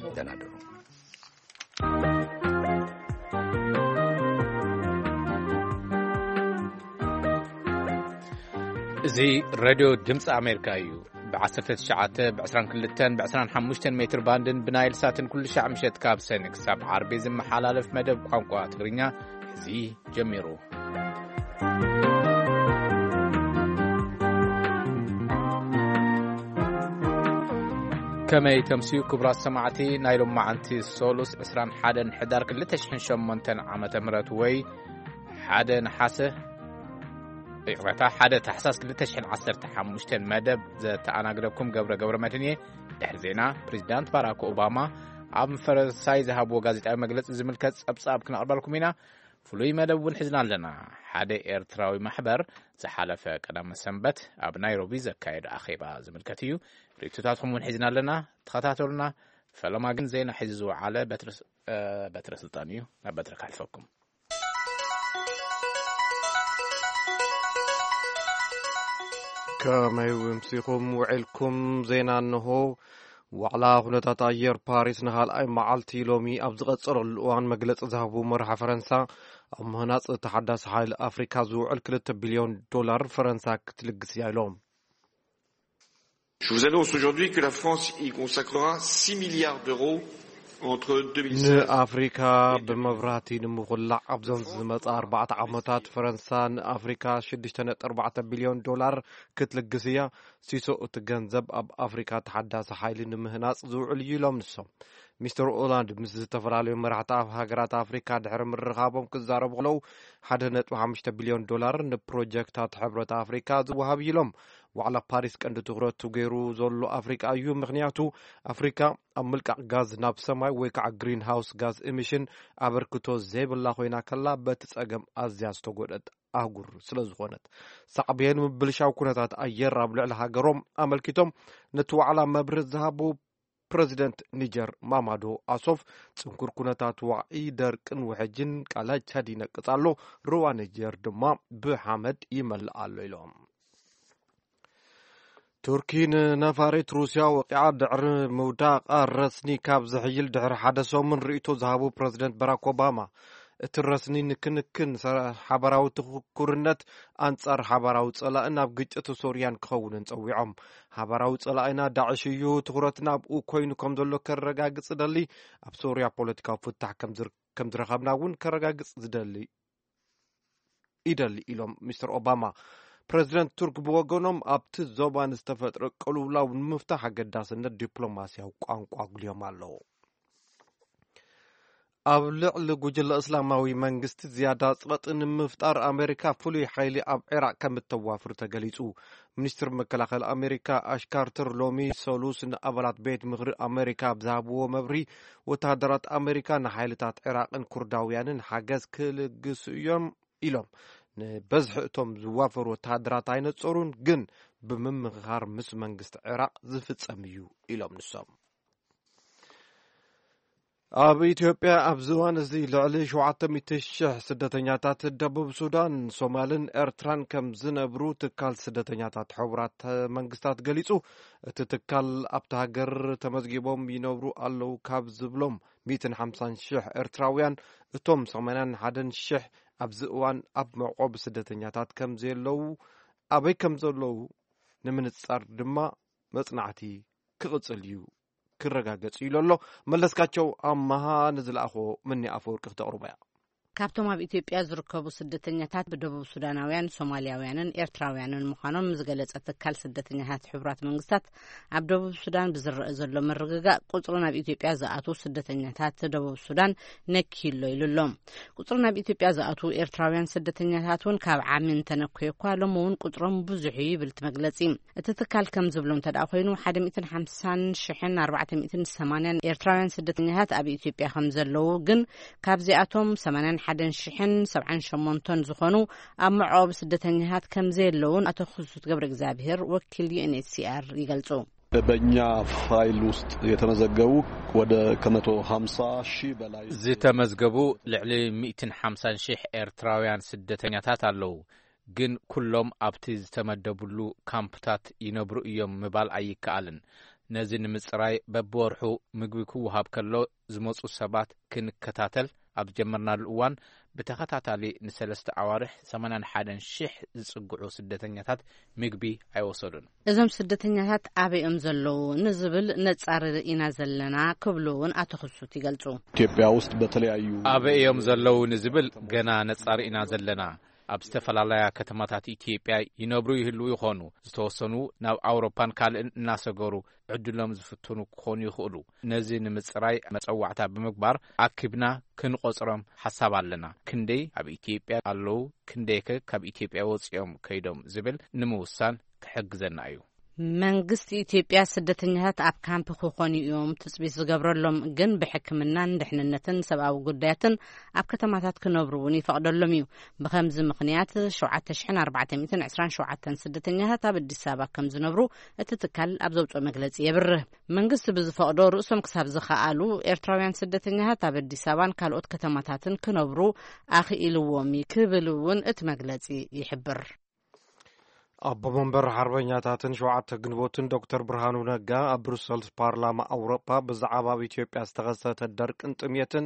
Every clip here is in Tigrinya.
ደህና ደሩ። እዚ ሬድዮ ድምፂ ኣሜሪካ እዩ። ብ19፣ ብ22፣ ብ25 ሜትር ባንድን ብናይል ሳትን ኩሉ ሻዕ ምሸት ካብ ሰኒ ክሳብ ዓርቢ ዝመሓላለፍ መደብ ቋንቋ ትግርኛ እዚ ጀሚሩ። ከመይ ተምስዩ ክቡራት ሰማዕቲ፣ ናይ ሎማዓንቲ ሶሉስ ዕስራን ሓደን ሕዳር ክልተ ሽሕን ሸሞንተን ዓመተ ምህረት ወይ ሓደ ነሓሰ፣ ይቕረታ፣ ሓደ ታሕሳስ ክልተ ሽሕን ዓሰርተ ሓሙሽተን መደብ ዘተኣናግደኩም ገብረ ገብረ መድህን እየ። ድሕሪ ዜና፣ ፕሬዚዳንት ባራክ ኦባማ ኣብ ፈረንሳይ ዝሃብዎ ጋዜጣዊ መግለጺ ዝምልከት ጸብጻብ ክነቕርበልኩም ኢና። ፍሉይ መደብ እውን ሒዝና ኣለና። ሓደ ኤርትራዊ ማሕበር ዝሓለፈ ቀዳመ ሰንበት ኣብ ናይሮቢ ዘካየዶ ኣኼባ ዝምልከት እዩ። ርእይቶታትኩም እውን ሒዝና ኣለና። ተኸታተሉና። ፈለማ ግን ዜና ሒዙ ዝወዓለ በትረ ስ-፣ እ፣ በትረ ስልጣን እዩ። ናብ በትረ ከሕልፈኩም። ከመይ ውምሲኹም ውዒልኩም? ዜና እንሆ። ዋዕላ ኩነታት ኣየር ፓሪስ ንኻልኣይ መዓልቲ ሎሚ ኣብ ዝቐጸለሉ እዋን መግለጺ ዝሃቡ መራሒ ፈረንሳ፣ ኣብ ምህናጽ ተሓዳሲ ሓይሊ ኣፍሪካ ዝውዕል ክልተ ቢልዮን ዶላር ፈረንሳ ክትልግስ እያ ኢሎም። Je vous annonce aujourd'hui que la France y consacrera six milliards d'euros entre deux mille seize ንኣፍሪካ ብመብራህቲ ንምኹላዕ ኣብዞም ዝመጻ ኣርባዕተ ዓመታት ፈረንሳ ንኣፍሪካ ሽዱሽተ ነጥቢ ኣርባዕተ ቢልዮን ዶላር ክትልግስ እያ። ሲሶ እቲ ገንዘብ ኣብ ኣፍሪካ ተሓዳሲ ሓይሊ ንምህናጽ ዝውዕል እዩ ኢሎም ንሶም። ሚስተር ኦላንድ ምስ ዝተፈላለዩ መራሕቲ ሃገራት ኣፍሪካ ድሕሪ ምርኻቦም ክዛረቡ ከለዉ፣ ሓደ ነጥቢ ሓሙሽተ ቢልዮን ዶላር ንፕሮጀክታት ሕብረት ኣፍሪካ ዝወሃብ እዩ ኢሎም። ዋዕላ ፓሪስ ቀንዲ ትኹረቱ ገይሩ ዘሎ ኣፍሪካ እዩ። ምኽንያቱ ኣፍሪካ ኣብ ምልቃቕ ጋዝ ናብ ሰማይ ወይ ከዓ ግሪን ሃውስ ጋዝ ኢሚሽን ኣበርክቶ ዘይብላ ኮይና ከላ፣ በቲ ጸገም ኣዝያ ዝተጎድአት ኣህጉር ስለ ዝኾነት፣ ሳዕቤን ምብልሻው ኩነታት ኣየር ኣብ ልዕሊ ሃገሮም ኣመልኪቶም ነቲ ዋዕላ መብርህ ዝሃቡ ፕረዚደንት ኒጀር ማማዶ ኣሶፍ፣ ጽንኩር ኩነታት ዋዒ፣ ደርቅን ውሕጅን ቃላ ቻድ ይነቅጽ ኣሎ፣ ሩባ ኒጀር ድማ ብሓመድ ይመልእ ኣሎ ኢሎም። ቱርኪ ንነፋሪት ሩስያ ወቂዓ ድሕሪ ምውዳቓ ረስኒ ካብ ዝሕይል ድሕሪ ሓደ ሰሙን ርእይቶ ዝሃቡ ፕረዚደንት ባራክ ኦባማ፣ እቲ ረስኒ ንክንክን ሰ-፣ ሓባራዊ ትኩርነት ኣንጻር ሓባራዊ ጸላእን ኣብ ግጭት ሶርያን ክኸውንን ጸዊዖም። ሓባራዊ ጸላኢና ዳዕሽ እዩ፣ ትኹረትና ኣብኡ ኮይኑ ከም ዘሎ ከረጋግጽ እደሊ፣ ኣብ ሶርያ ፖለቲካዊ ፍታሕ ከም ዝር-፣ ከም ዝረኸብና እውን ከረጋግጽ ዝደሊ ይደሊ ኢሎም ሚስተር ኦባማ። ፕረዚደንት ቱርክ ብወገኖም ኣብቲ ዞባ ንዝተፈጥረ ቅልውላው ንምፍታሕ ኣገዳስነት ዲፕሎማስያዊ ቋንቋ ኣጉልዮም ኣለዉ። ኣብ ልዕሊ ጉጅለ እስላማዊ መንግስቲ ዝያዳ ጸቕጢ ንምፍጣር ኣሜሪካ ፍሉይ ሓይሊ ኣብ ዒራቕ ከም እተዋፍር ተገሊጹ። ሚኒስትር መከላኸሊ ኣሜሪካ ኣሽ ካርተር ሎሚ ሰሉስ ንኣባላት ቤት ምኽሪ ኣሜሪካ ኣብ ዝሃብዎ መብርሂ፣ ወተሃደራት ኣሜሪካ ንሓይልታት ዒራቕን ኩርዳውያንን ሓገዝ ክልግሱ እዮም ኢሎም። ንበዝሒ እቶም ዝዋፈሩ ወተሃደራት ኣይነጸሩን፣ ግን ብምምኽኻር ምስ መንግስቲ ዒራቕ ዝፍጸም እዩ ኢሎም ንሶም። ኣብ ኢትዮጵያ ኣብዚ እዋን እዚ ልዕሊ ሸውዓተ ሚእቲ ሽሕ ስደተኛታት ደቡብ ሱዳን፣ ሶማልን ኤርትራን ከም ዝነብሩ ትካል ስደተኛታት ሕቡራት መንግስታት ገሊጹ። እቲ ትካል ኣብቲ ሃገር ተመዝጊቦም ይነብሩ ኣለዉ ካብ ዝብሎም ሚእትን ሓምሳን ሽሕ ኤርትራውያን፣ እቶም ሰማንያን ሓደን ሽሕ ኣብዚ እዋን ኣብ መዕቆቢ ስደተኛታት ከም ዘየለዉ፣ ኣበይ ከም ዘለዉ ንምንጻር ድማ መጽናዕቲ ክቕጽል እዩ፣ ክረጋገጽ እዩ ኢሉ ኣሎ። መለስካቸው ኣማሃ ንዝለኣኾ ምኒ ኣፈወርቂ ክተቕርቦ እያ። ካብቶም ኣብ ኢትዮጵያ ዝርከቡ ስደተኛታት ብደቡብ ሱዳናውያን፣ ሶማልያውያንን ኤርትራውያንን ምዃኖም ዝገለጸ ትካል ስደተኛታት ሕቡራት መንግስታት፣ ኣብ ደቡብ ሱዳን ብዝረአ ዘሎ ምርግጋእ ቁጽሪ ናብ ኢትዮጵያ ዝኣትዉ ስደተኛታት ደቡብ ሱዳን ነክዩ ኣሎ ኢሉ ኣሎ። ቁጽሪ ናብ ኢትዮጵያ ዝኣትዉ ኤርትራውያን ስደተኛታት እውን ካብ ዓሚ እንተነኮየ እኳ፣ ሎሚ እውን ቁጽሮም ብዙሕ እዩ ይብል እቲ መግለጺ። እቲ ትካል ከም ዝብሎ እንተ ደኣ ኮይኑ፣ ሓደ ሚእትን ሓምሳን ሽሕን ኣርባዕተ ሚእትን ሰማንያን ኤርትራውያን ስደተኛታት ኣብ ኢትዮጵያ ከም ዘለዉ፣ ግን ካብዚኣቶም ሰማንያን ሓደን ሽሕን ሰብዓን ሸሞንተን ዝኾኑ ኣብ መዕቆቢ ስደተኛታት ከም ዘየለዉን ኣቶ ክሱት ገብረ እግዚኣብሔር ወኪል ዩ ኤን ኤች ሲ ኣር ይገልጹ። በእኛ ፋይል ውስጥ የተመዘገቡ ወደ ከመቶ ሃምሳ ሺህ በላይ ዝተመዝገቡ ልዕሊ ሚእትን ሓምሳን ሽሕ ኤርትራውያን ስደተኛታት ኣለዉ። ግን ኩሎም ኣብቲ ዝተመደብሉ ካምፕታት ይነብሩ እዮም ምባል ኣይከኣልን። ነዚ ንምጽራይ በብወርሑ ምግቢ ክወሃብ ከሎ ዝመጹ ሰባት ክንከታተል ኣብ ዝጀመርናሉ እዋን፣ ብተኸታታሊ ንሰለስተ ኣዋርሕ ሰማንያን ሓደን ሽሕ ዝጽግዑ ስደተኛታት ምግቢ ኣይወሰዱን። እዞም ስደተኛታት ኣበይ እዮም ዘለዉ ንዝብል ነጻሪ ኢና ዘለና ክብሉ እውን ኣቶ ክሱት ይገልጹ። ኢትዮጵያ ውስጥ በተለያዩ ኣበይ እዮም ዘለዉ ንዝብል ገና ነጻሪ ኢና ዘለና። ኣብ ዝተፈላለያ ከተማታት ኢትዮጵያ ይነብሩ ይህልዉ ይኾኑ። ዝተወሰኑ ናብ ኣውሮፓን ካልእን እናሰገሩ ዕድሎም ዝፍትኑ ክኾኑ ይኽእሉ። ነዚ ንምጽራይ መጸዋዕታ ብምግባር ኣኪብና ክንቆጽሮም ሓሳብ ኣለና። ክንደይ ኣብ ኢትዮጵያ ኣለዉ፣ ክንደይከ ካብ ኢትዮጵያ ወጺኦም ከይዶም ዝብል ንምውሳን ክሕግዘና እዩ። መንግስቲ ኢትዮጵያ ስደተኛታት ኣብ ካምፕ ክኾኑ እዮም ትጽቢት ዝገብረሎም፣ ግን ብሕክምናን ድሕንነትን ሰብኣዊ ጉዳያትን ኣብ ከተማታት ክነብሩ እውን ይፈቕደሎም እዩ። ብኸምዚ ምኽንያት ሸውዓተ ሽሕን ኣርባዕተ ሚእትን ዕስራን ሸውዓተን ስደተኛታት ኣብ ኣዲስ ኣበባ ከም ዝነብሩ እቲ ትካል ኣብ ዘውፅኦ መግለፂ የብርህ። መንግስቲ ብዝፈቕዶ ርእሶም ክሳብ ዝኸኣሉ ኤርትራውያን ስደተኛታት ኣብ ኣዲስ ኣበባን ካልኦት ከተማታትን ክነብሩ ኣኽኢልዎም እዩ ክብል እውን እቲ መግለፂ ይሕብር። ኣቦ መንበር ሓርበኛታትን ሸውዓተ ግንቦትን ዶክተር ብርሃኑ ነጋ ኣብ ብሩሰልስ ፓርላማ ኣውሮጳ ብዛዕባ ኣብ ኢትዮጵያ ዝተኸሰተ ደርቅን ጥምየትን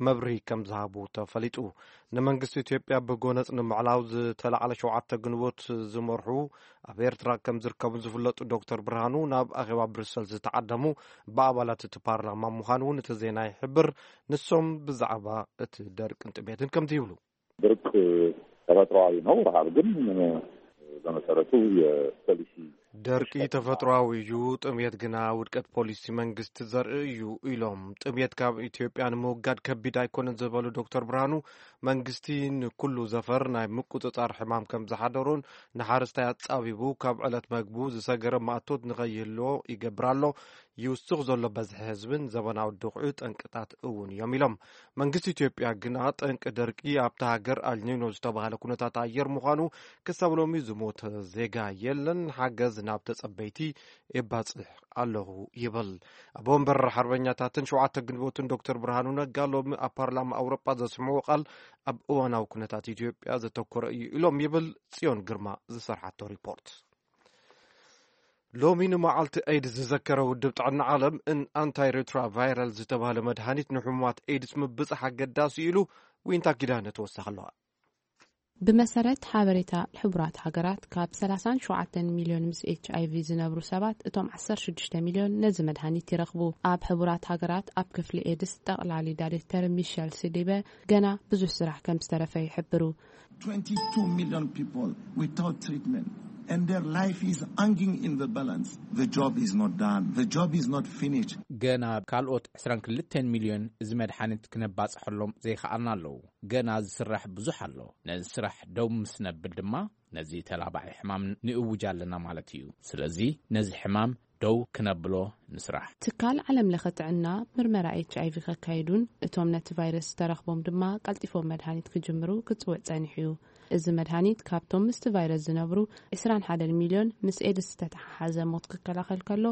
መብርሂ ከም ዝሃቡ ተፈሊጡ። ንመንግስቲ ኢትዮጵያ ብጎነጽ ንምዕላው ዝተላዕለ ሸውዓተ ግንቦት ዝመርሑ ኣብ ኤርትራ ከም ዝርከቡ ዝፍለጡ ዶክተር ብርሃኑ ናብ ኣኼባ ብሩሰልስ ዝተዓደሙ ብኣባላት እቲ ፓርላማ ምዃኑ እውን እቲ ዜና ይሕብር። ንሶም ብዛዕባ እቲ ደርቅን ጥምየትን ከምዚ ይብሉ። ድርቅ ተፈጥሯዊ ነው። ረሃብ ግን በመሰረቱ የፖሊሲ ደርቂ ተፈጥሯዊ እዩ፣ ጥምየት ግና ውድቀት ፖሊሲ መንግስቲ ዘርኢ እዩ ኢሎም። ጥምየት ካብ ኢትዮጵያ ንምውጋድ ከቢድ ኣይኮነን ዝበሉ ዶክተር ብርሃኑ፣ መንግስቲ ንኩሉ ዘፈር ናይ ምቁጽጻር ሕማም ከም ዝሓደሮን ንሓረስታይ ኣጻቢቡ ካብ ዕለት መግቡ ዝሰገረ ማእቶት ንኸይህልዎ ይገብር ኣሎ። ይውስኽ ዘሎ በዝሒ ህዝብን ዘበናዊ ድኹዒ ጠንቅታት እውን እዮም ኢሎም። መንግስቲ ኢትዮጵያ ግና ጠንቂ ደርቂ ኣብታ ሃገር ኣልኒኖ ዝተባህለ ኩነታት ኣየር ምዃኑ ክሳብ ሎሚ ዝሞተ ዜጋ የለን፣ ሓገዝ ናብ ተጸበይቲ የባጽሕ ኣለኹ ይብል። ኣቦ ወንበር ሓርበኛታትን ሸውዓተ ግንቦትን ዶክተር ብርሃኑ ነጋ ሎሚ ኣብ ፓርላማ ኣውሮጳ ዘስምዑ ቃል ኣብ እዋናዊ ኩነታት ኢትዮጵያ ዘተኮረ እዩ ኢሎም ይብል ጽዮን ግርማ ዝሰርሓቶ ሪፖርት። ሎሚ ንመዓልቲ ኤድስ ዝዘከረ ውድብ ጥዕና ዓለም ን ኣንታይ ሬትሮቫይራል ዝተባህለ መድሃኒት ንሕሙማት ኤድስ ምብጻሕ ኣገዳሲ ኢሉ። ዊንታ ኪዳነ ተወሳኺ ኣለዋ። ብመሰረት ሓበሬታ ሕቡራት ሃገራት፣ ካብ ሰላሳን ሸውዓተን ሚልዮን ምስ ኤች ኣይ ቪ ዝነብሩ ሰባት፣ እቶም ዓሰርተ ሽዱሽተ ሚልዮን ነዚ መድሃኒት ይረኽቡ። ኣብ ሕቡራት ሃገራት ኣብ ክፍሊ ኤድስ ጠቕላሊ ዳይሬክተር ሚሸል ሲዲበ፣ ገና ብዙሕ ስራሕ ከም ዝተረፈ ይሕብሩ። Twenty-two million people without treatment, and their life is hanging in the balance. The job is not done. The job is not finished. ገና ካልኦት ዕስራን ክልተን ሚልዮን እዚ መድሓኒት ክነባፅሐሎም ዘይከኣልና ኣለዉ። ገና ዝስራሕ ብዙሕ ኣሎ። ነዚ ስራሕ ደው ምስ ነብል ድማ ነዚ ተላባዒ ሕማም ንእውጅ ኣለና ማለት እዩ። ስለዚ ነዚ ሕማም ደው ክነብሎ ንስራሕ። ትካል ዓለም ለኸ ጥዕና ምርመራ ኤች ኣይ ቪ ከካይዱን እቶም ነቲ ቫይረስ ዝተረኽቦም ድማ ቀልጢፎም መድሃኒት ክጅምሩ ክጽውዕ ጸኒሑ እዩ። እዚ መድሃኒት ካብቶም ምስቲ ቫይረስ ዝነብሩ ዕስራን ሓደን ሚልዮን ምስ ኤድስ ዝተተሓሓዘ ሞት ክከላኸል ከሎ፣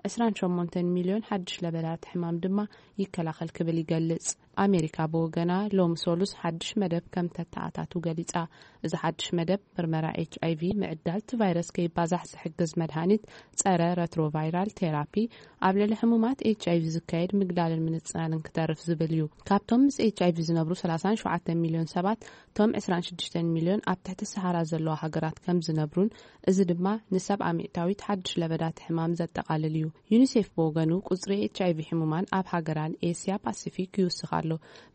ዕስራን ሸሞንተን ሚልዮን ሓድሽ ለበዳት ሕማም ድማ ይከላኸል ክብል ይገልጽ። ኣሜሪካ ብወገና ሎሚ ሰሉስ ሓድሽ መደብ ከም ተተኣታቱ ገሊጻ። እዚ ሓድሽ መደብ ምርመራ ኤች ኣይ ቪ ምዕዳል እቲ ቫይረስ ከይባዛሕ ዝሕግዝ መድሃኒት ጸረ ረትሮቫይራል ቴራፒ ኣብ ልዕሊ ሕሙማት ኤች ኣይ ቪ ዝካየድ ምግዳልን ምንጽናንን ክተርፍ ዝብል እዩ። ካብቶም ምስ ኤች ኣይ ቪ ዝነብሩ ሰላሳን ሸውዓተን ሚልዮን ሰባት፣ እቶም ዕስራን ሽዱሽተን ሚልዮን ኣብ ትሕቲ ሰሃራ ዘለዋ ሃገራት ከም ዝነብሩን፣ እዚ ድማ ንሰብዓ ሚእታዊት ሓድሽ ለበዳት ሕማም ዘጠቓልል እዩ። ዩኒሴፍ ብወገኑ ቁጽሪ ኤች ኣይ ቪ ሕሙማን ኣብ ሃገራን ኤስያ ፓሲፊክ ይውስኽ ኣሎ፣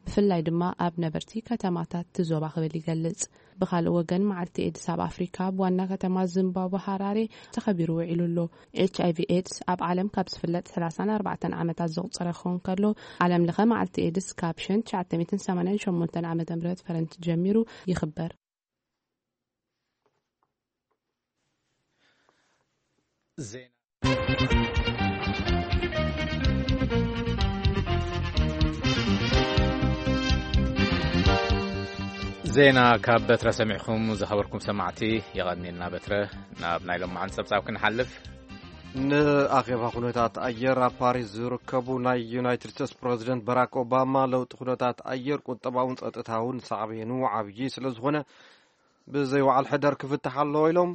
ብፍላይ ድማ ኣብ ነበርቲ ከተማታት እቲ ዞባ ክብል ይገልጽ። ብኻልእ ወገን፣ መዓልቲ ኤድስ ኣብ ኣፍሪካ ኣብ ዋና ከተማ ዚምባብወ ሃራሬ ተኸቢሩ ውዒሉ ኣሎ። ኤች ኣይ ቪ ኤድስ ኣብ ዓለም ካብ ዝፍለጥ ሰላሳን ኣርባዕተን ዓመታት ዘቑጸረ ክኸውን ከሎ፣ ዓለም ለኸ መዓልቲ ኤድስ ካብ ሸን ትሽዓተ ሚእትን ሰማንያን ሸሞንተን ዓመተ ምህረት ፈረንጂ ጀሚሩ ይኽበር። ዜና። ዜና ካብ በትረ ሰሚዕኩም ዝኸበርኩም ሰማዕቲ፣ የቐንየልና በትረ። ናብ ናይ ሎማዓንቲ ጸብጻብ ክንሓልፍ። ንኣኼባ ኩነታት ኣየር ኣብ ፓሪስ ዝርከቡ ናይ ዩናይትድ ስቴትስ ፕረዚደንት ባራክ ኦባማ፣ ለውጢ ኩነታት ኣየር ቁጠባውን ጸጥታውን ሳዕቤኑ ዓብዪ ስለ ዝኾነ፣ ብዘይ ወዓል ሕደር ክፍታሕ ኣለዎ ኢሎም።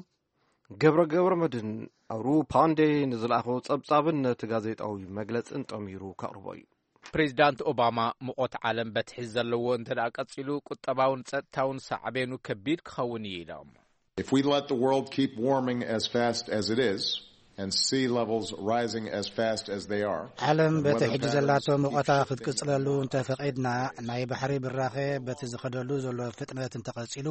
ገብረ ገብረ መድህን ኣብ ሩፓንዴ ንዝለኣኸ ጸብጻብን ነቲ ጋዜጣዊ መግለጽን ጠሚሩ ከቕርቦ እዩ። ፕሬዚዳንት ኦባማ፣ "ሙቐት ዓለም በቲ ሕዚ ዘለዎ እንተ ደኣ ቀጺሉ፣ ቁጠባውን ጸጥታውን ሳዕቤኑ ከቢድ ክኸውን እዩ" ኢሎም። If we let the world keep warming as fast as it is, and sea levels rising as fast as they are, ዓለም and በቲ weather ሕጂ patterns ዘላቶ keep ሙቐታ shifting ክትቅጽለሉ እንተ ፈቒድና፣ ናይ ባሕሪ ብራኸ በቲ ዝኸደሉ ዘሎ ፍጥነት እንተቐጺሉ፣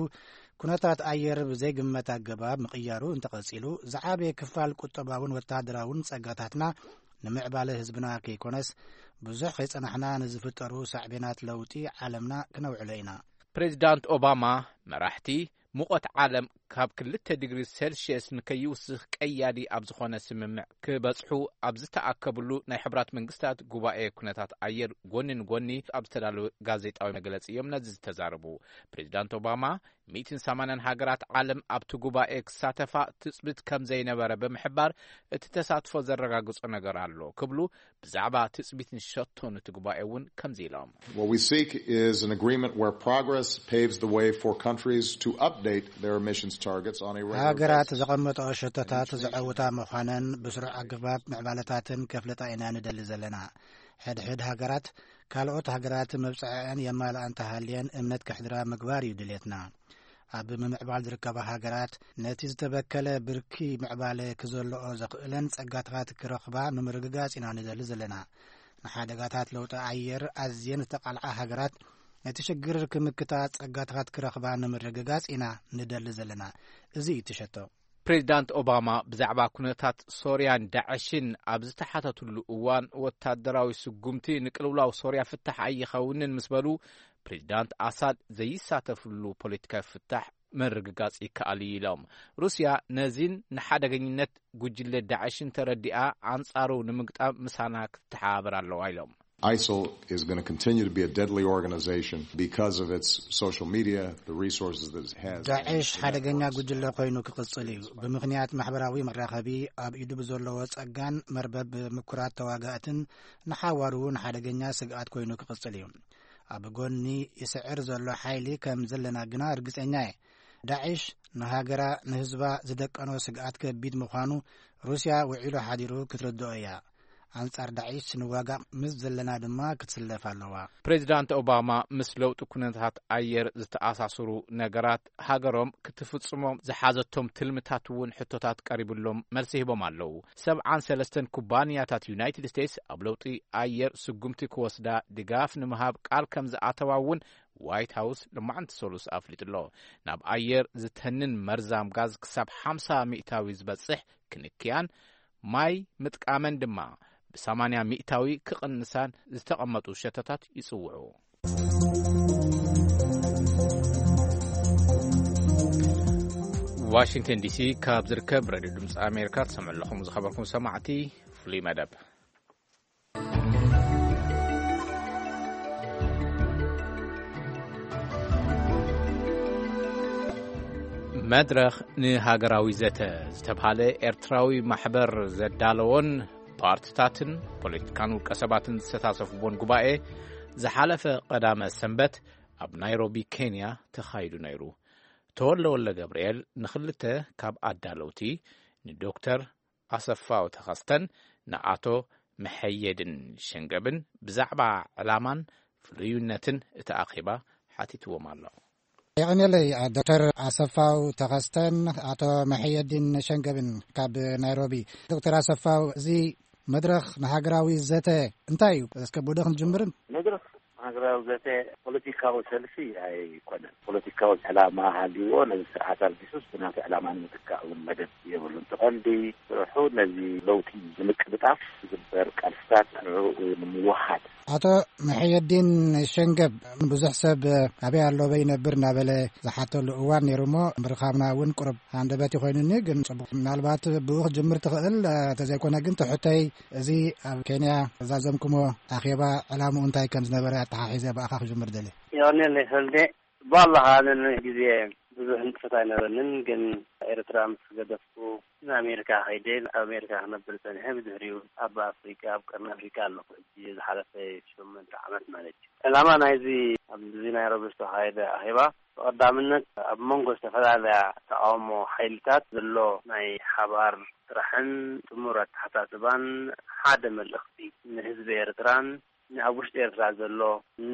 ኩነታት ኣየር ብዘይግመት ኣገባብ ምቕያሩ እንተቐጺሉ፣ ዝዓበየ ክፋል ቁጠባውን ወተሃደራውን ጸጋታትና ንምዕባለ ህዝብና ከይኮነስ፣ ብዙሕ ከይጸናሕና ንዝፍጠሩ ሳዕቤናት ለውጢ ዓለምና ክነውዕሎ ኢና። ፕሬዚዳንት ኦባማ፣ መራሕቲ ሙቐት ዓለም ካብ ክልተ ዲግሪ ሴልሽየስ ንከይውስኽ ቀያዲ ኣብ ዝኾነ ስምምዕ ክበጽሑ ኣብ ዝተኣከብሉ ናይ ሕቡራት መንግስታት ጉባኤ ኩነታት ኣየር ጎኒ ንጎኒ ኣብ ዝተዳለወ ጋዜጣዊ መግለጺ እዮም ነዚ ዝተዛረቡ። ፕሬዚዳንት ኦባማ፣ "ሚእትን ሰማንያን ሃገራት ዓለም ኣብቲ ጉባኤ ክሳተፋ ትጽቢት ከም ዘይነበረ ብምሕባር፣ እቲ ተሳትፎ ዘረጋግጾ ነገር ኣሎ" ክብሉ፣ ብዛዕባ ትጽቢትን ሸቶን እቲ ጉባኤ እውን ከምዚ ኢሎም። What we seek is an agreement where progress paves the way for countries to update their emissions targets on a regular ሃገራት basis. ዘቐመጠኦ ሸቶታት ዘዐውታ ምዃነን ብስሩዕ ኣገባብ ምዕባለታትን ከፍልጣ ኢና ንደሊ ዘለና። ሕድሕድ ሃገራት ካልኦት ሃገራት መብጽዐአን የማልኣ እንተሃልየን እምነት ከሕድራ ምግባር እዩ ድሌትና። ኣብ ምምዕባል ዝርከባ ሃገራት ነቲ ዝተበከለ ብርኪ ምዕባለ ክዘልኦ ዘኽእለን ጸጋታት ክረኽባ ንምርግጋጽ ኢና ንደሊ ዘለና። ንሓደጋታት ለውጢ ኣየር ኣዝየን ዝተቓልዓ ሃገራት ነቲ ሽግር ክምክታ ጸጋታት ክረኽባ ንምርግጋጽ ኢና ንደሊ ዘለና። እዚ እዩ እቲ ሸቶ። ፕሬዚዳንት ኦባማ ብዛዕባ ኩነታት ሶርያን ዳዕሽን ኣብ ዝተሓተትሉ እዋን፣ ወታደራዊ ስጉምቲ ንቅልውላው ሶርያ ፍታሕ ኣይኸውንን ምስ በሉ፣ ፕሬዚዳንት ኣሳድ ዘይሳተፍሉ ፖለቲካዊ ፍታሕ ምርግጋጽ ይከኣል እዩ ኢሎም። ሩስያ ነዚን ንሓደገኝነት ጉጅለ ዳዕሽን ተረዲኣ፣ ኣንጻሩ ንምግጣም ምሳና ክትተሓባበር ኣለዋ ኢሎም። ISIL is going to continue to be a deadly organization because of its social media, the resources that it has. ዳዕሽ ሓደገኛ ጉጅለ ኮይኑ ክቕጽል እዩ። ብምኽንያት ማሕበራዊ መራኸቢ፣ ኣብ ኢዱ ብዘለዎ ጸጋን መርበብ ምኩራት ተዋጋእትን ንሓዋሩ እውን ሓደገኛ ስግኣት ኮይኑ ክቕጽል እዩ። ኣብ ጎኒ ይስዕር ዘሎ ሓይሊ ከም ዘለና ግና ርግጸኛ እየ። ዳዕሽ ንሃገራ፣ ንህዝባ ዝደቀኖ ስግኣት ከቢድ ምዃኑ ሩስያ ውዒሉ ሓዲሩ ክትርድኦ እያ። ኣንጻር ዳዒሽ ንዋጋእ ምስ ዘለና ድማ ክትስለፍ ኣለዋ። ፕሬዚዳንት ኦባማ ምስ ለውጢ ኩነታት ኣየር ዝተኣሳሰሩ ነገራት ሃገሮም ክትፍጽሞም ዝሓዘቶም ትልምታት እውን ሕቶታት ቀሪብሎም መልሲ ሂቦም ኣለዉ። ሰብዓን ሰለስተን ኩባንያታት ዩናይትድ ስቴትስ ኣብ ለውጢ ኣየር ስጉምቲ ክወስዳ ድጋፍ ንምሃብ ቃል ከም ዝኣተዋ እውን ዋይት ሃውስ ሎማዕንቲ ሰሉስ ኣፍሊጡ ኣሎ። ናብ ኣየር ዝተንን መርዛም ጋዝ ክሳብ ሓምሳ ሚእታዊ ዝበጽሕ ክንክያን ማይ ምጥቃመን ድማ ብሰማንያ ሚእታዊ ክቕንሳን ዝተቐመጡ ሸቶታት ይጽውዑ። ዋሽንግተን ዲሲ ካብ ዝርከብ ሬድዮ ድምፂ ኣሜሪካ ትሰምዑ ኣለኹም። ዝኸበርኩም ሰማዕቲ፣ ፍሉይ መደብ። መድረኽ ንሃገራዊ ዘተ ዝተብሃለ ኤርትራዊ ማሕበር ዘዳለዎን ፓርትታትን ፖለቲካን ውልቀ ሰባትን ዝተሳተፍዎን ጉባኤ ዝሓለፈ ቀዳመ ሰንበት ኣብ ናይሮቢ ኬንያ ተኻይዱ ነይሩ። ተወልደ ወልደ ገብርኤል ንኽልተ ካብ ኣዳለውቲ ንዶክተር ኣሰፋው ተኸስተን ንኣቶ መሐየድን ሸንገብን ብዛዕባ ዕላማን ፍሉይነትን እቲ ኣኼባ ሓቲትዎም ኣሎ። የቐንየለይ ዶክተር ኣሰፋው ተኸስተን ኣቶ መሐየድን ሸንገብን ካብ ናይሮቢ። ዶክተር ኣሰፋው፣ እዚ መድረኽ ንሃገራዊ ዘተ እንታይ እዩ? እስከ ብዶ ክንጅምርን? መድረኽ ሃገራዊ ዘተ ፖለቲካዊ ሰልፊ ኣይኮነን። ፖለቲካዊ ዕላማ ሃልይዎ ነዚ ስርዓት ኣልጊሱስ ብናቱ ዕላማ ንምትካእ እውን መደብ የብሉን። እቲ ቀንዲ ስርሑ ነዚ ለውጢ ንምቅልጣፍ ዝግበር ቃልስታት ንዕኡ ንምውሃድ። ኣቶ መሐየዲን ሸንገብ፣ ብዙሕ ሰብ ኣበይ ኣሎ፣ ኣበይ ይነብር እናበለ ዝሓተሉ እዋን ነይሩ እሞ፣ ምርኻብና እውን ቁሩብ ሃንደበት ይኾይኑኒ። ግን ጽቡቕ፣ ምናልባት ብኡ ክጅምር ትኽእል፣ እንተዘይኮነ ግን ትሕተይ፣ እዚ ኣብ ኬንያ ዛዘምኩሞ ኣኼባ ዕላምኡ እንታይ ከም ዝነበረ ኣተሓሒዘ ብኣኻ ክጅምር ደልየ። የቐንየለይ ሰልዴ። ጽቡቕ ኣለኻ። ነንሕ ግዜ ብዙሕ ንጥፈት ኣይነበረንን፣ ግን ኤርትራ ምስ ገደፍኩ ንኣሜሪካ ከይደ፣ ኣብ ኣሜሪካ ክነብር ጸኒሐ። ብድሕሪኡ ኣብ ኣፍሪቃ፣ ኣብ ቀርኒ ኣፍሪቃ ኣለኹ ሕጂ፣ ዝሓለፈ ሸሞንተ ዓመት ማለት እዩ። ዕላማ ናይዚ ኣብዚ ናይሮቢ ዝተኻየደ ኣኼባ፣ ቀዳምነት ኣብ መንጎ ዝተፈላለያ ተቃውሞ ሓይልታት ዘሎ ናይ ሓባር ስራሕን ጥሙር ኣተሓሳስባን ሓደ መልእኽቲ ንህዝቢ ኤርትራን ኣብ ውሽጢ ኤርትራ ዘሎ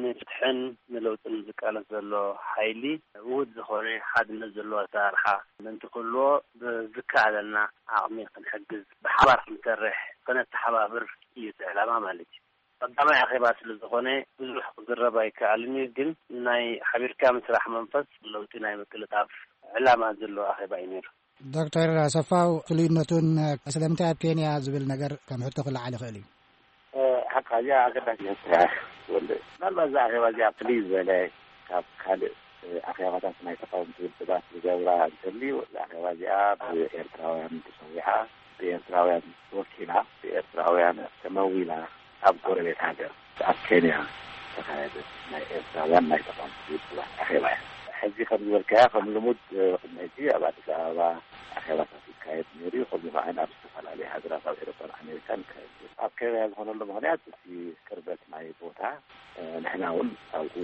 ንፍትሕን ንለውጥን ዝቃለስ ዘሎ ሓይሊ ውሁድ ዝኾነ ሓድነት ዘለዎ ኣሰራርሓ ምእንቲ ክህልዎ ብዝከኣለና ዓቕሚ ክንሕግዝ ብሓባር ክንሰርሕ ከነተሓባብር እዩ እቲ ዕላማ ማለት እዩ። ቀዳማይ ኣኼባ ስለ ዝኾነ ብዙሕ ክዝረብ ኣይከኣልን እዩ፣ ግን ናይ ሓቢርካ ምስራሕ መንፈስ ለውጢ ናይ ምቅልጣፍ ዕላማ ዘለዎ ኣኼባ እዩ ነይሩ። ዶክተር ኣሰፋው ፍሉይነቱን ስለምንታይ ኣብ ኬንያ ዝብል ነገር ከም ሕቶ ክለዓል ይኽእል እዩ። ሓቃ እዚኣ ኣገዳሲ ሕቶ እያ። ወልደ፣ ምናልባት እዛ ኣኼባ እዚኣ ፍልይ ዝበለ ካብ ካልእ ኣኼባታት ናይ ተቃወምቲ ውድባት ዝገብራ እንተልዩ፣ እዛ ኣኼባ እዚኣ ብኤርትራውያን ተሰዊዓ፣ ብኤርትራውያን ተወኪላ፣ ብኤርትራውያን ተመዊላ ኣብ ጎረቤት ሃገር ኣብ ኬንያ ዝተኻየደ ናይ ኤርትራውያን ናይ ተቃወምቲ ውድባት ኣኼባ እያ። ሕጂ ከም ዝበልካያ ከም ልሙድ ቅድሚ ሕጂ ኣብ ኣዲስ ኣበባ ኣኼባታት ይካየድ ነይሩ እዩ። ከምኡ ከዓ ኣብ ዝተፈላለዩ ሃገራት ኣብ ኤሮፓን ኣሜሪካን ይካየድ ነይሩ። ኣብ ኬንያ ዝኾነሉ ምኽንያት እቲ ቅርበት ናይ ቦታ፣ ንሕና እውን ኣብኡ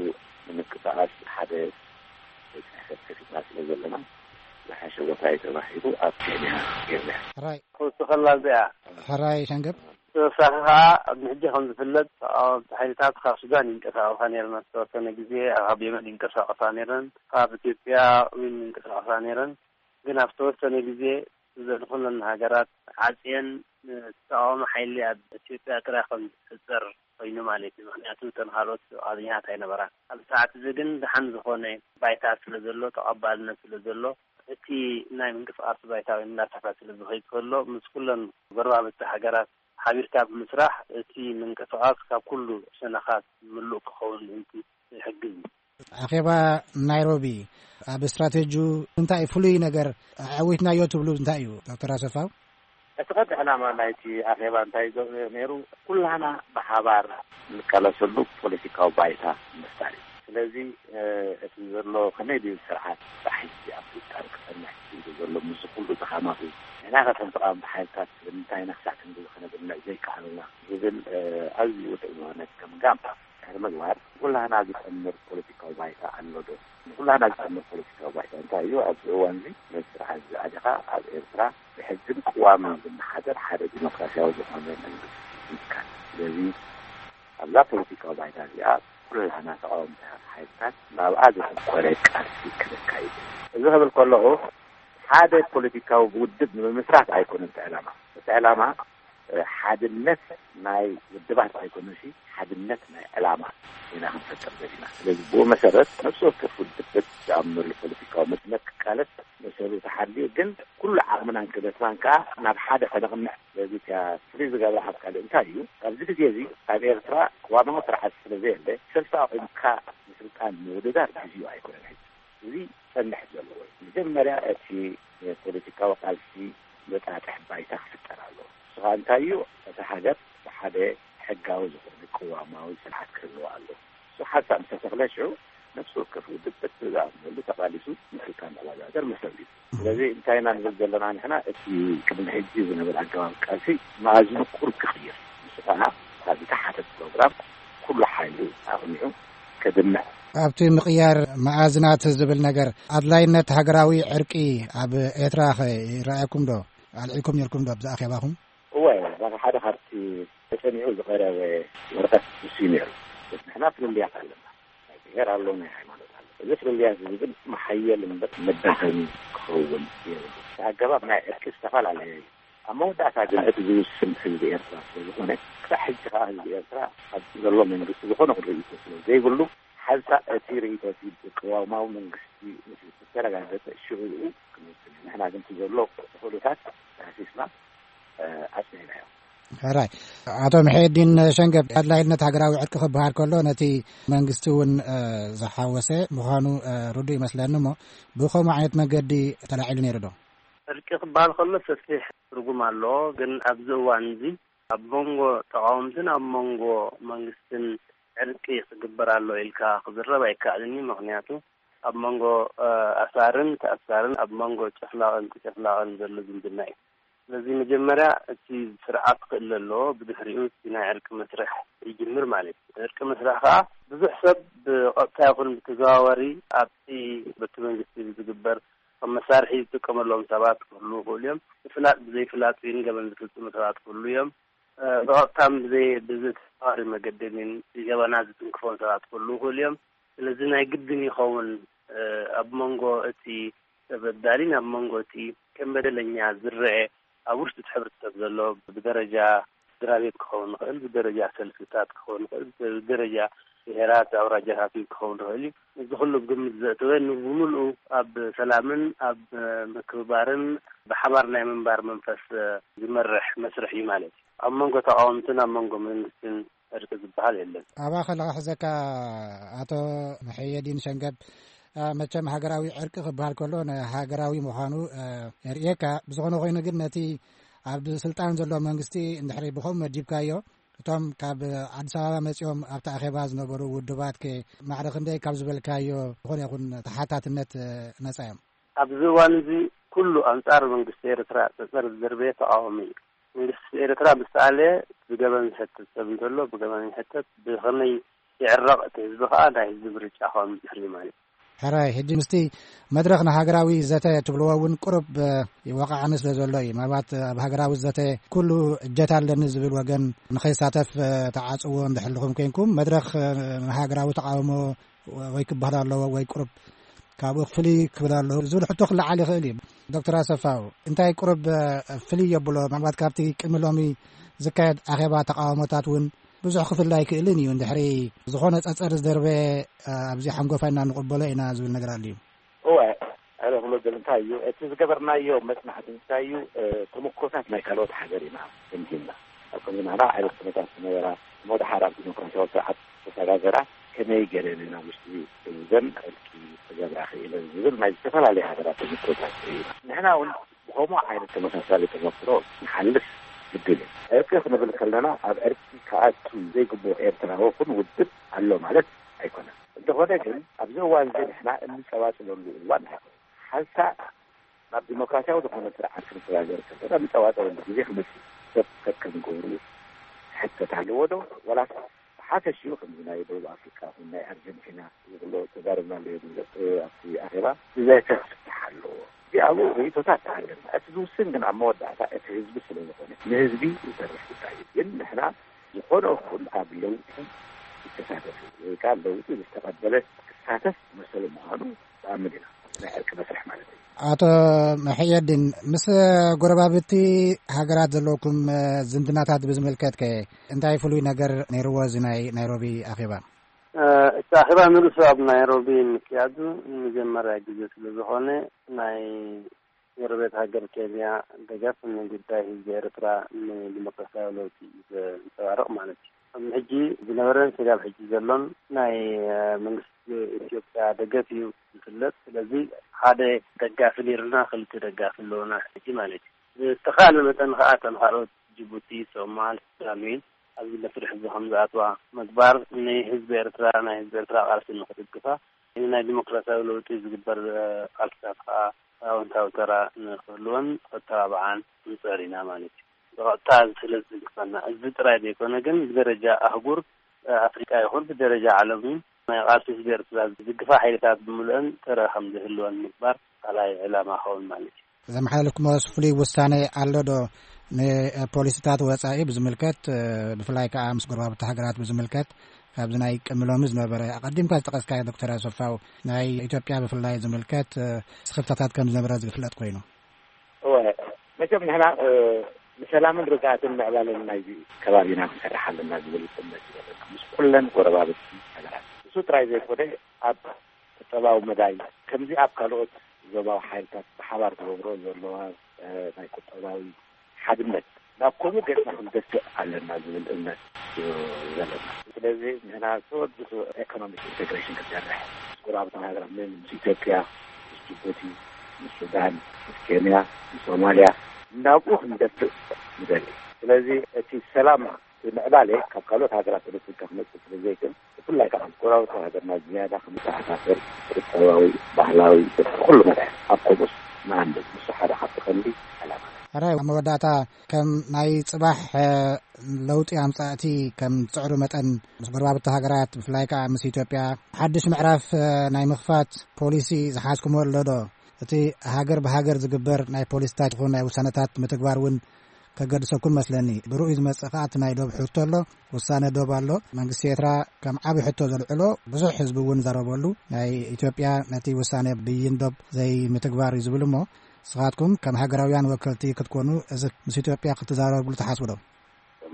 ንምንቅስቃስ ሓደ ጽሕፈት ከፊትና ስለ ዘለና ዝሓሸ ቦታ እዩ ተባሂሉ ኣብ ኬንያ ገይርና። ሕራይ ክውስኸላ እዚኣ። ሕራይ ሸንገብ። ተወሳኺ ከዓ ኣብ ሕጂ ከም ዝፍለጥ ተቃወምቲ ሓይልታት ካብ ሱዳን ይንቀሳቀሳ ነይረን፣ ዝተወሰነ ግዜ ካብ የመን ይንቀሳቀሳ ነይረን፣ ካብ ኢትዮጵያ እውን ይንቀሳቀሳ ነይረን። ግን ኣብ ዝተወሰነ ግዜ ዘድኹነን ሃገራት ዓፅየን፣ ተቃዋሚ ሓይሊ ኣብ ኢትዮጵያ ጥራይ ከም ዝፍጠር ኮይኑ ማለት እዩ። ምክንያቱ እተን ካልኦት ፍቃደኛታት ኣይነበራን። ኣብ ሰዓት እዚ ግን ደሓን ዝኾነ ባይታ ስለ ዘሎ፣ ተቐባልነት ስለ ዘሎ፣ እቲ ናይ ምንቅስቃስ ባይታ ወይ እናሰፍሐ ስለ ዝኸይድ ከሎ፣ ምስ ኩለን ጎረባብቲ ሃገራት ሓቢርካ ብምስራሕ እቲ ምንቅስቃስ ካብ ኩሉ ሸነኻት ምሉእ ክኸውን ምእንቲ ይሕግዝ እዩ። ኣኼባ ናይሮቢ ኣብ ስትራቴጂኡ እንታይ ፍሉይ ነገር ኣዕዊትናዮ ትብሉ እንታይ እዩ ዶክተር ኣሰፋው? እቲ ቀንዲ ዕላማ ናይቲ ኣኼባ እንታይ ዞ-፣ ነይሩ? ኩላህና ብሓባር እንቃለሰሉ ፖለቲካዊ ባይታ ምፍጣር እዩ። ስለዚ፣ እ፣ እቲ ዘሎ ከመይ ድዩ ስርዓት ብሓይሊ ኣብ ስልጣን ክጸንሕ ኢሉ ዘሎ ምስዚ ኩሉ ድኻማቱ፣ ንሕና ከ ከም ተቃወምቲ ሓይልታት ስለምንታይ ኢና ክሳዕ ክንድዚ ክነድምዕ ዘይከኣልና ዝብል፣ እ፣ ኣዝዩ ውዱእ ዝኾነ ገምጋም ድሕሪ ምግባር፣ ንኩላህና ዝጠምር ፖለቲካዊ ባይታ ኣሎ ዶ? ንኩላህና ዝጠምር ፖለቲካዊ ባይታ እንታይ እዩ? ኣብዚ እዋን እዚ ነዚ ስርዓት እዚ ኣሊኻ ኣብ ኤርትራ ብሕግን ቅዋምን ዝመሓደር ሓደ ዲሞክራሲያዊ ዝኾነ መንግስቲ ምትካል። ስለዚ ኣብዛ ፖለቲካዊ ባይታ እዚኣ ኩላህና ተቃወምቲ ሓይልታት ናብኣ ዘተኮረ ቃልሲ ክነካይድ። እዚ ክብል ከለኹ ሓደ ፖለቲካዊ ውድብ ንምምስራት ኣይኮነን እቲ ዕላማ። እቲ ዕላማ፣ እ፣ ሓድነት ናይ ውድባት ኣይኮነን፣ ሲ ሓድነት ናይ ዕላማ ኢና ክንፈጥር ዘለና። ስለዚ ብኡ መሰረት ነፍሲ ወከፍ ውድብ በቲ ዝኣምነሉ ፖለቲካዊ መድመር ክቃለስ መሰሉ ተሓልዩ፣ ግን ኩሉ ዓቕምናን ክእለትናን ከኣ ናብ ሓደ ከነቕንዕ። ስለዚ እቲኣ ፍልይ ዝገብራ ካብ ካልእ እንታይ እዩ? ኣብዚ ግዜ እዚ ኣብ ኤርትራ ቅዋማዊ ስርዓት ስለ ዘየለ፣ ሰልፊ ኣቑምካ ንስልጣን ምውድዳር ግዜኡ ኣይኮነን ሕጂ። እዚ ክጸንሕ ዘለዎ እዩ። መጀመርያ እቲ ፖለቲካዊ ቃልሲ ዘጣጥሕ ባይታ ክፍጠር ኣለዎ። ንሱ ኸኣ እንታይ እዩ? እታ ሃገር ብሓደ ሕጋዊ ዝኾነ ቅዋማዊ ስርዓት ክህልዋ ኣለዎ። እሱ ሓንሳብ ምስ ተተኽለ ሽዑ ነፍሲ ወከፍ ውድብ በቲ ዝኣምነሉ ተቓሊሱ ንስልጣን ክወዳደር መሰሉ እዩ። ስለዚ እንታይ ኢና ንብል ዘለና ንሕና? እቲ ቅድሚ ሕጂ ዝነበረ ኣገባብ ቃልሲ መኣዝኑ ቁሩብ ክቕይር፣ ንሱ ኸኣ ካብ ዝተሓተ ፕሮግራም ኩሉ ሓይሉ ኣቕኒዑ ከድምዕ። ኣብቲ ምቕያር መኣዝናት ዝብል ነገር ኣድላይነት ሃገራዊ ዕርቂ ኣብ ኤርትራ ኸ ይረኣየኩም ዶ? ኣልዒልኩም ነይርኩም ዶ ኣብዚ ኣኼባኹም? እወ፣ ሓደ ካብቲ ተጸኒዑ ዝቐረበ ወረቐት ንሱ እዩ ነይሩ። ንሕና ፍልልያት ኣለና። ናይ ብሄር ኣሎ፣ ናይ ሃይማኖት ኣሎ። እዚ ፍልልያት እዚ ግን መሓየል እምበር መዳኸሚ ክኸውን የብሉ። እቲ ኣገባብ ናይ ዕርቂ ዝተፈላለየ እዩ። ኣብ መወዳእታ ግን እቲ ዝውስን ህዝቢ ኤርትራ ስለ ዝኾነ፣ ክሳዕ ሕጂ ከኣ ህዝቢ ኤርትራ ኣብ ዘሎ መንግስቲ ዝኾነ ርእይቶ ስለ ዘይብሉ፣ ሓንሳእ እቲ ርእይቶ እቲ ቅዋማዊ መንግስቲ ምስ ዝተረጋገጸ ሽዑ ክንውስን እዩ። ንሕና ግን እቲ ዘሎ ኩነታት ዳህሲስና፣ እ፣ ኣጽኒዕናዮ። ሕራይ። ኣቶ ምሒዲን ሸንገብ፣ ኣድላይነት ሃገራዊ ዕርቂ ክበሃል ከሎ ነቲ መንግስቲ እውን፣ እ፣ ዝሓወሰ ምዃኑ፣ እ፣ ርዱእ ይመስለኒ እሞ ብኸምኡ ዓይነት መገዲ ተላዒሉ ነይሩ ዶ? ዕርቂ ክበሃል ከሎ ሰፊሕ ትርጉም ኣለዎ፣ ግን ኣብዚ እዋን እዚ ኣብ መንጎ ተቃወምትን ኣብ መንጎ መንግስትን ዕርቂ ክግበር ኣሎ ኢልካ ክዝረብ ኣይከኣልን እዩ። ምኽንያቱ ኣብ መንጎ፣ እ፣ ኣሳርን ተኣሳርን፣ ኣብ መንጎ ጨፍላቕን ተጨፍላቕን ዘሎ ዝምድና እዩ። ስለዚ መጀመርያ እቲ ስርዓት ክእለ ኣለዎ፣ ብድሕሪኡ እቲ ናይ ዕርቂ መስርሕ ይጅምር ማለት እዩ። ዕርቂ መስርሕ ከኣ ብዙሕ ሰብ ብቐጥታ ይኹን ብተዘዋዋሪ ኣብቲ በቲ መንግስቲ ዝግበር ከም መሳርሒ ዝጥቀመሎም ሰባት ክህልዉ ይኽእሉ እዮም። ብፍላጥ ብዘይፍላጥ ግን ገበን ዝፍጽሙ ሰባት ክህልዉ እዮም። እ፣ ብቐጥታን ብዘይ-፣ ብዝተዘዋዋሪ መገዲ ግን ገበናት ዝትንክፎም ሰባት ክህልዉ ይኽእሉ እዮም። ስለዚ ናይ ግድን ይኸውን፣ እ፣ ኣብ መንጎ እቲ ተበዳሊን ኣብ መንጎ እቲ ከም በደለኛ ዝረአ ኣብ ውሽጢ እቲ ሕብረተሰብ ዘሎ ብደረጃ ስድራ ቤት ክኸውን ይኽእል፣ ብደረጃ ሰልፍታት ክኸውን ይኽእል፣ ብደረጃ ብሄራት ኣውራጃታት ክኸውን ይኽእል እዩ። እዚ ኩሉ ግምት ዘእተወ ንብምልኡ ኣብ ሰላምን ኣብ ምክብባርን ብሓባር ናይ ምንባር መንፈስ ዝመርሕ መስርሕ እዩ ማለት እዩ። ኣብ መንጎ ተቃወምትን ኣብ መንጎ መንግስትን ዕርቂ ዝበሃል የለን። ኣብኣ ከለኻ ሕዘካ ኣቶ መሐየዲን ሸንገብ፣ አ፣ መቸም ሃገራዊ ዕርቂ ክበሃል ከሎ ንሃገራዊ ምዃኑ፣ አ፣ የርእየካ። ብዝኾነ ኮይኑ ግን ነቲ ኣብ ስልጣን ዘሎ መንግስቲ እንድሕሪ ብኸምኡ መዲብካዮ፣ እቶም ካብ ኣዲስ ኣበባ መጺኦም ኣብቲ ኣኼባ ዝነበሩ ውድባት ከ ማዕረ ክንደይ ካብ ዝበልካዮ ዝኾነ ይኹን ተሓታትነት፣ እ፣ ነጻ እዮም? ኣብዚ እዋን እዚ ኩሉ ኣንጻር መንግስቲ ኤርትራ ጸጸር ዝደርበየ ተቃዋሚ እዩ። መንግስቲ ኤርትራ ምስ ተኣለየ ብገበን ዝሕተት ሰብ እንተሎ ብገበን ይሕተት፣ ብኸመይ ይዕረቕ እቲ ህዝቢ ከኣ ናይ ህዝቢ ምርጫ ክኸውን ዝድሕር እዩ ማለት እዩ። ሕራይ፣ ሕጂ ምስቲ መድረኽ ንሃገራዊ ዘተ ትብልዎ እውን ቁሩብ፣ እ፣ ይወቃዕኒ ስለ ዘሎ እዩ። ምናልባት ኣብ ሃገራዊ ዘተ ኩሉ እጀት ኣለኒ ዝብል ወገን ንኸይሳተፍ፣ እ፣ ተዓጽዎ እንድሕልኹም ኮንኩም፣ መድረኽ፣ እ፣ ንሃገራዊ ተቃውሞ ወ-፣ ወይ ክበሃል ኣለዎ ወይ ቁሩብ ካብኡ ፍልይ ክብል ኣለዎ ዝብል ሕቶ ክለዓል ይኽእል እዩ። ዶክተር ኣሰፋው፣ እንታይ ቁሩብ፣ እ፣ ፍልይ የብሎ? ምናልባት ካብቲ ቅድሚ ሎሚ ዝካየድ ኣኼባ ተቃውሞታት እውን ብዙሕ ክፍለ ኣይክእልን እዩ። እንድሕሪ ዝኾነ ጸጸር ዝደርበ፣ እ፣ ኣብዚ ሓንጎፋ ኢና ንቕበሎ ኢና ዝብል ነገር ኣሎ እዩ። እወ፣ ኣነ ክብሎ ዝደሊ እንታይ እዩ፣ እቲ ዝገበርናዮ መጽናዕቲ እንታይ እዩ፣ እ፣ ተመክሮታት ናይ ካልኦት ሃገር ኢና ገምጊምና። ኣብ ከምዚ ናህና ዓይነት ኩነታት ዝነበራ፣ እሞ ደሓር ኣብ ዲሞክራሲያዊ ስርዓት ተሰጋገራ፣ ከመይ ገይረን ኢና ውሽጢ እዘን ዕርቂ ክገብራ ክኢለን ዝብል ናይ ዝተፈላለዩ ሃገራት ተመክሮታት ኢና። ንሕና እውን ብኸምኡ ዓይነት ተመሳሳሊ ተመክሮ ንሓልፍ ግድን እዩ። ዕርቂ ክንብል ከለና ኣብ ዕርቂ ክኣቱ ዘይግብኦ ኤርትራዊ ይኹን ውድብ ኣሎ ማለት ኣይኮነን። እንተኾነ ግን ኣብዚ እዋን እዚ ንሕና እንጸባጽበሉ እዋን ኣይኮነን። ሓንሳእ ናብ ዲሞክራሲያዊ ዝኾነ ስርዓት ክንሰጋገር ከለና እንጸባጸበሉ ግዜ ክመጽእ ሰብ ከከም ግብሩ ክሕተት ኣለዎ ዶ? ወላስ ብሓፈሽኡ ከምዚ ናይ ደቡብ ኣፍሪቃ ይኹን ናይ ኣርጀንቲና ዝብሎ ተዛረብናሉ እዩ። ኣብቲ ኣኼባ ብዘይ ፍታሕ ኣለዎ። እዚኣቡ ርእይቶታት ኣለና። እቲ ዝውስን ግን ኣብ መወዳእታ እቲ ህዝቢ ስለ ዝኾነ ንህዝቢ ዝሰርሕ ጉዳይ እዩ። ግን ንሕና ዝኾነ ይኹን ኣብ ለውጢ ይተሳተፍ ወይ ከዓ ለውጢ ዝተቐበለ ክሳተፍ መሰሉ ምዃኑ ንኣምን ኢና። ናይ ዕርቂ መስርሕ ማለት እዩ። ኣቶ መሕየዲን፣ ምስ ጎረባብቲ ሃገራት ዘለውኩም፣ እ፣ ዝምድናታት ብዝምልከት ከ እንታይ ፍሉይ ነገር ነይርዎ እዚ ናይ ናይሮቢ ኣኼባ? እ፣ እቲ ኣኼባ ንርእሱ ኣብ ናይሮቢ ምክያዱ ንመጀመርያ ግዜ ስለ ዝኾነ ናይ ጎረቤት ሃገር ኬንያ ደገፍ ንጉዳይ ህዝቢ ኤርትራ ንዲሞክራሲያዊ ለውጢ እዩ ዘንጸባርቕ ማለት እዩ። ኣብዚ ሕጂ ዝነበረን ስጋብ ሕጂ ዘሎን ናይ፣ እ፣ መንግስቲ ኢትዮጵያ ደገፍ እዩ ዝፍለጥ። ስለዚ ሓደ ደጋፊ ነይሩና፣ ክልተ ደጋፊ ኣለውና ሕጂ ማለት እዩ። ብዝተኻእለ መጠን ከኣ እተን ካልኦት ጅቡቲ፣ ሶማል፣ ሱዳን እውን ኣብዚ መስርሕ እዚ ከም ዝኣትዋ ምግባር ንህዝቢ ኤርትራ፣ ናይ ህዝቢ ኤርትራ ቃልሲ ንክድግፋ፣ ናይ ዲሞክራሲያዊ ለውጢ ዝግበር፣ እ፣ ቃልስታት ከኣ ኣወንታዊ ተራ ንክህልወን ክተባብዓን ንጽዕር ኢና ማለት እዩ። ብቐጥታ እዚ ስለ ዝድግፈና፣ እዚ ጥራይ ዘይኮነ ግን ብደረጃ ኣህጉር፣ እ፣ ኣፍሪቃ ይኹን ብደረጃ ዓለም እውን ናይ ቃልሲ ህዝቢ ኤርትራ ዝድግፋ ሓይልታት ብምልአን ተራ ከም ዝህልወን ምግባር ካልኣይ ዕላማ ክኸውን ማለት እዩ። ዘመሓላለፍኩሞ ፍሉይ ውሳኔ ኣሎ ዶ? ንፖሊሲታት ወጻኢ ብዝምልከት፣ እ፣ ብፍላይ ከኣ ምስ ጎረባብቲ ሃገራት ብዝምልከት፣ ካብዚ ናይ ቅድሚ ሎሚ ዝነበረ ኣቐዲምካ ዝጠቐስካዮ ዶክተር ኣሰፋው፣ ናይ ኢትዮጵያ ብፍላይ ዝምልከት፣ እ፣ ስኽፍታታት ከም ዝነበረ ዝፍለጥ ኮይኑ። እወ፣ መቸም ንሕና፣ እ፣ ንሰላምን ርግኣትን ምዕባለን ናይዚ ከባቢና ክንሰርሕ ኣለና ዝብል እምነት እዩ ዘለና። ምስ ኩለን ጎረባብቲ ሃገራት። እሱ ጥራይ ዘይኮነ፣ ኣብ ቁጠባዊ መዳይ፣ ከምዚ ኣብ ካልኦት ዞባዊ ሓይልታት ብሓባር ተበግሮ ዘለዋ፣ እ፣ ናይ ቁጠባዊ ሓድነት፣ ናብ ከምኡ ገጽና ክንደፍእ ኣለና ዝብል እምነት እዩ ዘለና። ስለዚ ንሕና ተወዲሱ ኤኮኖሚክ ኢንቴግሬሽን ክሰርሕ፣ ምስ ጎረባብቲ ሃገራት ምን ምስ ኢትዮጵያ፣ ምስ ጅቡቲ፣ ምስ ሱዳን፣ ምስ ኬንያ፣ ምስ ሶማልያ፣ ናብኡ ክንደፍእ ንደሊ። ስለዚ እቲ ሰላም እቲ ምዕባለ ካብ ካልኦት ሃገራት ኤሌክትሪካ ክመጽእ ስለ ዘይክእል፣ ብፍላይ ከዓ ምስ ጎረባብቲ ሃገርና ዝያዳ ክመተኣሳሰር ቁጠባዊ፣ ባህላዊ፣ ኩሉ መዳይ ኣብ ከምኡስ ንኣንብብ። ንሱ ሓደ ካብቲ ቀንዲ ዕላማና። ሕራይ ኣብ መወዳእታ፣ ከም ናይ ጽባሕ ለውጢ ኣምጻእቲ ከም ትጽዕሩ መጠን፣ ምስ ጎረባብቲ ሃገራት፣ ብፍላይ ከኣ ምስ ኢትዮጵያ ሓድሽ ምዕራፍ ናይ ምኽፋት ፖሊሲ ዝሓዝኩሞ ኣሎ ዶ? እቲ ሃገር ብሃገር ዝግበር ናይ ፖሊሲታት ይኹን ናይ ውሳነታት ምትግባር እውን ከገድሰኩም መስለኒ። ብርኡይ ዝመጽእ ከኣ እቲ ናይ ዶብ ሕቶ ኣሎ። ውሳነ ዶብ ኣሎ። መንግስቲ ኤርትራ ከም ዓቢ ሕቶ ዘልዕሎ፣ ብዙሕ ህዝቢ እውን ዘረበሉ፣ ናይ ኢትዮጵያ ነቲ ውሳነ ብይን ዶብ ዘይምትግባር እዩ ዝብል እሞ፣ ንስኻትኩም ከም ሃገራውያን ወከልቲ ክትኮኑ፣ እዚ ምስ ኢትዮጵያ ክትዛረብሉ ትሓስቡ ዶ?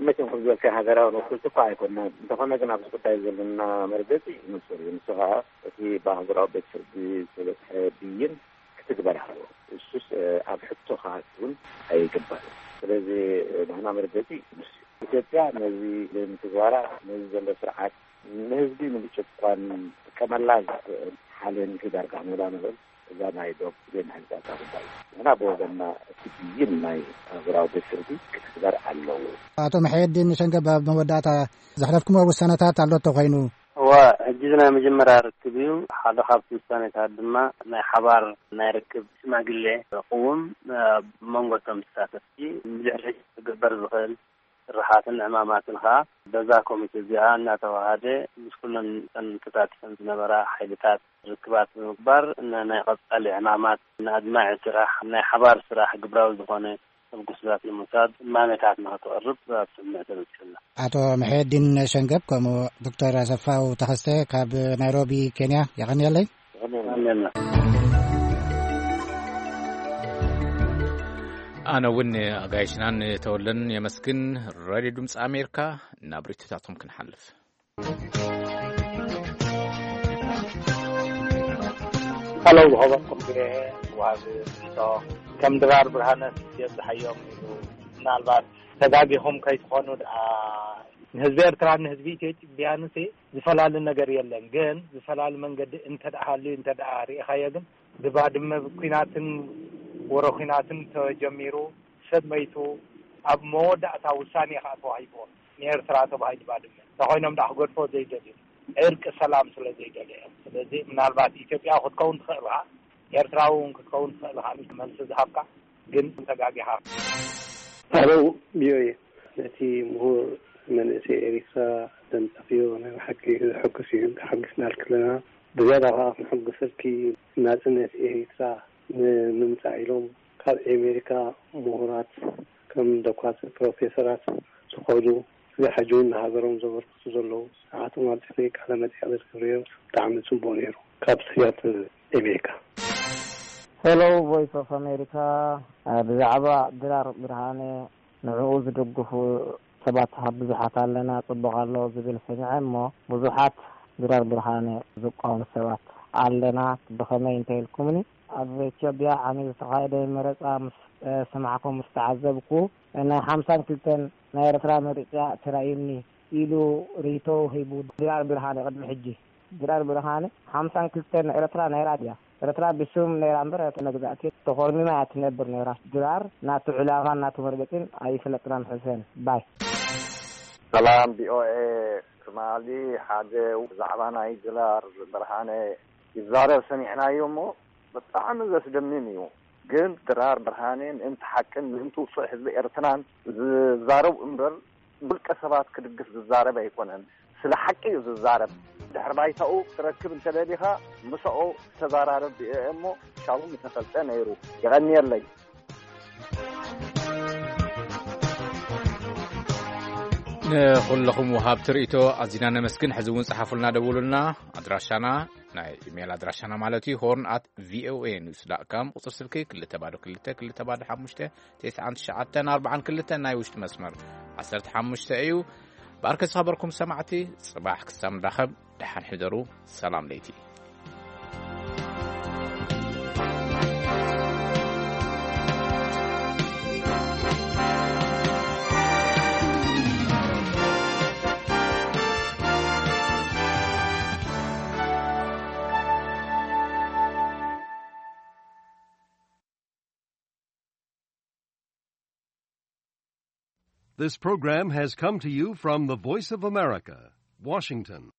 መቸም ከም ዝበልካ ሃገራዊ ወከልቲ እኳ ኣይኮንና። እንተኾነ ግን ኣብዚ ጉዳይ ዘለና መርገጺ ንጹር እዩ። ንሱ ኸኣ እቲ ብኣህጉራዊ ቤት ፍርዲ ዝተበጽሐ ብይን ክትግበር ኣለዎ። እሱስ ኣብ ሕቶ ክኣቱ እውን ኣይግባእ። ስለዚ ናህና መርገጺ ንሱ እዩ። ኢትዮጵያ ነዚ ዘይምትግባራ ነዚ ዘሎ ስርዓት ንህዝቢ ንምጭቋን ጥቀመላ ዝኽእል ሓሌን ዳርጋ ሜላ ንብል። እዛ ናይ ዶብ ዘይምሕንጻጻ ጉዳይ እዩ። ንሕና ብወገንና እቲ ብይን ናይ ኣህጉራዊ ቤት ፍርዲ ክትግበር ኣለዎ። ኣቶ መሐየዲን ሸንገብ፣ ኣብ መወዳእታ ዘሕለፍኩሞ ውሳነታት ኣሎ እንተኾይኑ? እዋ፣ ሕጂ እዚ ናይ መጀመርያ ርክብ እዩ። ሓደ ካብቲ ውሳኔታት ድማ ናይ ሓባር ናይ ርክብ ሽማግሌ ክቕውም ኣብ መንጎ እቶም ተሳተፍቲ ብድሕሪ ዝግበር ዝኽእል ስራሓትን ዕማማትን ኸኣ በዛ ኮሚቴ እዚኣ እናተዋሃደ ምስ ኩለን እተን ተሳቲፈን ዝነበራ ሓይልታት ርክባት ብምግባር ን-፣ ናይ ቀጻሊ ዕማማት ንኣድማዒ ስራሕ፣ ናይ ሓባር ስራሕ ግብራዊ ዝኾነ ተበግሶታት ንምውሳድ እማመታት ንኸተቕርብ ኣብ ስምምዕ ተበጺሑ ኣሎ። ኣቶ መሐየዲን ሸንገብ ከምኡ ዶክተር ኣሰፋው ተኸስተ ካብ ናይሮቢ ኬንያ የቐንየለይ። ኣሜን። ኣነ እውን ኣጋይሽናን ተወለን የመስግን። ሬድዮ ድምፂ ኣሜሪካ፣ ናብ ርኢቶታቶም ክንሓልፍ። ሃሎ፣ ዝኸበርኩም ቪኦኤ ወሃቢ ርኢቶ፣ ከም ድራር ብርሃነ የብዝሓዮም ኢሉ፣ ምናልባት ተጋጊኹም ከይትኾኑ ደኣ፣ ንህዝቢ ኤርትራን ንህዝቢ ኢትዮጵያንሲ ዝፈላሊ ነገር የለን። ግን ዝፈላሊ መንገዲ እንተ ደኣ ሃልዩ፣ እንተ ደኣ ርኢኻዮ፣ ግን ብባድመ ኲናትን ወረ ኲናትን ተጀሚሩ፣ ሰብ መይቱ፣ ኣብ መወዳእታ ውሳኔ ከኣ ተዋሂብዎ ንኤርትራ ተባሂሉ ባድመ። እንተኾይኖም ደኣ ክገድፎ ዘይደልዩ፣ ዕርቂ ሰላም ስለ ዘይደልዩ እዮም። ስለዚ ምናልባት ኢትዮጵያ ክትከውን ትኽእል ኢኻ፣ ኤርትራ እውን ክትከውን ትኽእል ኢኻ፣ መልሲ ዝሃብካ ግን ተጋጊኻ። ሃሎ፣ ቪኦኤ፣ ነቲ ምሁር መንእሰይ ኤሪትራ ደም ጠፍዮ ናይ ብሓቂ ዘሐጉስ እዩ። ተሓጒስናልኪ ኣለና። ብዝያዳ ከኣ ክንሕጉሰልኪ፣ ናጽነት ኤሪትራ ንምምጻእ ኢሎም ካብ ኤሜሪካ ምሁራት ከም ዶኳትር ፕሮፌሰራት ዝኸዱ፣ ስጋብ ሕጂ እውን ንሃገሮም ዘበርክቱ ዘለዉ፣ ንዓቶም ኣብጺሐ ቃለ መጠይቕ ዘርክብዮም ብጣዕሚ ጽቡቕ ነይሩ። ካብ ስያትል ኤሜሪካ። ሄሎ ቮይስ ኦፍ ኣሜሪካ፣ ብዛዕባ ድራር ብርሃነ ንዕኡ ዝድግፉ ሰባት ብዙሓት ኣለና፣ ጽቡቕ ኣሎ ዝብል ሰሚዐ እሞ ብዙሓት ድራር ብርሃነ ዝቃወሙ ሰባት ኣለና። ብኸመይ እንተ ኢልኩምኒ፣ ኣብ ኢትዮጵያ ዓሚ ዝተኻየደ መረጻ ምስ ሰማዕኩ፣ ምስ ተዓዘብኩ፣ ናይ ሓምሳን ክልተን ናይ ኤርትራ መሪጽያ ተራእዩኒ ኢሉ ርእይቶ ሂቡ ድራር ብርሃነ ቅድሚ ሕጂ። ድራር ብርሃነ ሓምሳን ክልተን ኤርትራ ናይራ ድያ? ኤርትራ ብስም ነይራ እምበር፣ መግዛእቲ ተኾርሚማ እያ ትነብር ነይራ። ድራር ናቱ ዕላማን ናቱ መርገጺን ኣይፈለጥናን። ሕሰን ባይ። ሰላም ቪኦኤ፣ ትማሊ ሓደ ብዛዕባ ናይ ድራር ብርሃነ ይዛረብ ሰሚዕናዮ እሞ ብጣዕሚ ዘስደምም እዩ። ግን ድራር ብርሃነ ምእንቲ ሓቅን ምእንቲ ውጹዕ ህዝቢ ኤርትራን ዝዛረብ እምበር፣ ውልቀ ሰባት ክድግፍ ዝዛረብ ኣይኮነን። ስለ ሓቂ እዩ ዝዛረብ። ድሕሪ ባይታኡ ክትረክብ እንተደሊኻ፣ ምሳኡ ተዘራረብ ቪኦኤ እሞ፣ ሻቡ ምተፈልጠ ነይሩ። የቐንየለይ። ንኹለኹም ወሃብቲ ርእይቶ ኣዚና ነመስግን። ሕዚ እውን ጸሓፉልና፣ ደውሉልና። ኣድራሻና፣ ናይ ኢሜይል ኣድራሻና ማለት እዩ፣ ሆርን ኣት ቪኦኤ ኒውስ ዳት ካም፣ ቁጽሪ ስልኪ ክልተ ባዶ ክልተ ክልተ ባዶ ሓሙሽተ ተስዓን ትሽዓተን ኣርባዓን ክልተን፣ ናይ ውሽጢ መስመር ዓሰርተ ሓሙሽተ እዩ። ብኣርከ ዝኸበርኩም ሰማዕቲ፣ ጽባሕ ክሳብ ንራኸብ፣ ደሓን ሕደሩ። ሰላም ለይቲ። This program has come to you from the Voice of America, Washington.